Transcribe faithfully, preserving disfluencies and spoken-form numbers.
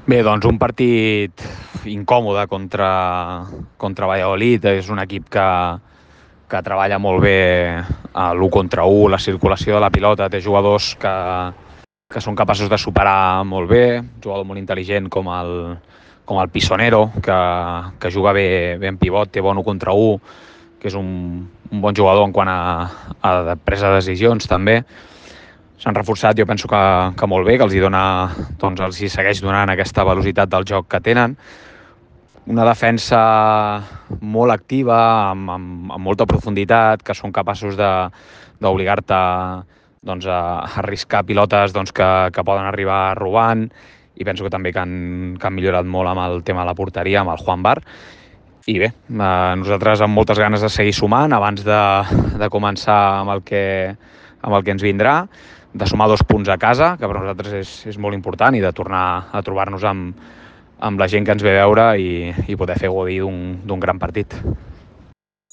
Bé, doncs un partit incòmode contra, contra Valladolid. És un equip que, que treballa molt bé a l'u contra u, la circulació de la pilota, té jugadors que, que són capaços de superar molt bé, un jugador molt intel·ligent com el, com el Pisonero, que, que juga bé, bé en pivot, té bon u contra u, que és un, un bon jugador en quant a, a presa de decisions també. S'han reforçat, jo penso que, que molt bé, que els hi dona, doncs els hi segueix donant aquesta velocitat del joc que tenen. Una defensa molt activa, amb, amb, amb molta profunditat, que són capaços d'obligar-te doncs, a arriscar pilotes doncs, que, que poden arribar robant, i penso que també que han, que han millorat molt amb el tema de la porteria, amb el Juan Bar. I bé, eh, nosaltres amb moltes ganes de seguir sumant abans de, de començar amb el, que, amb el que ens vindrà, de sumar dos punts a casa, que per nosaltres és, és molt important, i de tornar a trobar-nos amb, amb la gent que ens ve a veure i, i poder fer gaudir d'un gran partit.